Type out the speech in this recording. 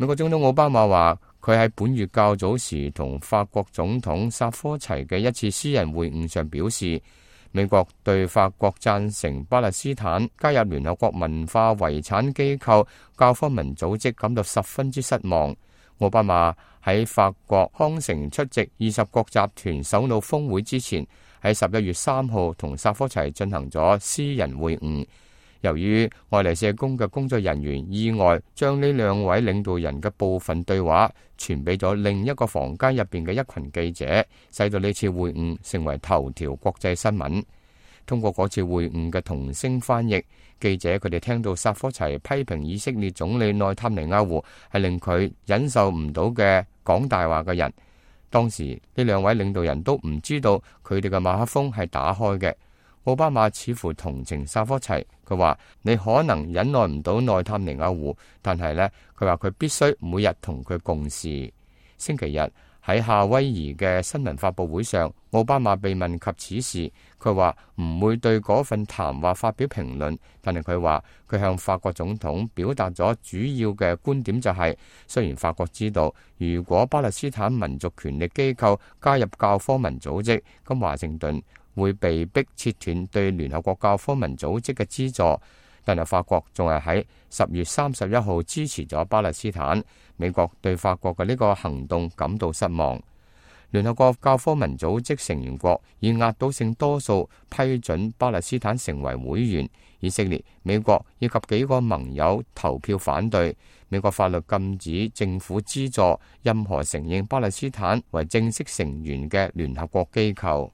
美國總統奧巴馬話，佢喺本月較早時同法國總統薩科齊嘅一次私人會晤上表示，美國對法國贊成巴勒斯坦加入聯合國文化遺產機構教科文組織感到十分之失望。奧巴馬喺法國康城出席20國集團首腦峰會之前，喺11月3號同薩科齊進行咗私人會晤。由於愛麗舍宮嘅工作人員意外將呢兩位領導人嘅部分對話傳俾咗另一個房間入邊嘅一群記者，使到呢次會晤成為頭條國際新聞。通過嗰次會晤嘅同聲翻譯，記者佢哋聽到薩科齊批評以色列總理內塔尼亞胡係令佢忍受唔到嘅講大話嘅人。當時呢兩位領導人都唔知道佢哋嘅麥克風係打開嘅。奧巴馬似乎同情薩科齊，佢話你可能忍耐唔到內塔尼亞胡，但係呢，佢話佢必須每日同佢共事。星期日喺夏威夷嘅新聞發佈會上，奧巴馬被問及此事，佢話唔會對嗰份談話發表評論，但係佢話佢向法國總統表達咗主要嘅觀點，就係雖然法國知道如果巴勒斯坦民族權力機構加入教科文組織，咁華盛頓會被迫切斷對聯合國教科文組織嘅資助，但係法國仲係喺10月31號支持咗巴勒斯坦。美國對法國嘅呢個行動感到失望。聯合國教科文組織成員國以壓倒性多數批准巴勒斯坦成為會員，以色列、美國以及幾個盟友投票反對。美國法律禁止政府資助任何承認巴勒斯坦為正式成員嘅聯合國機構。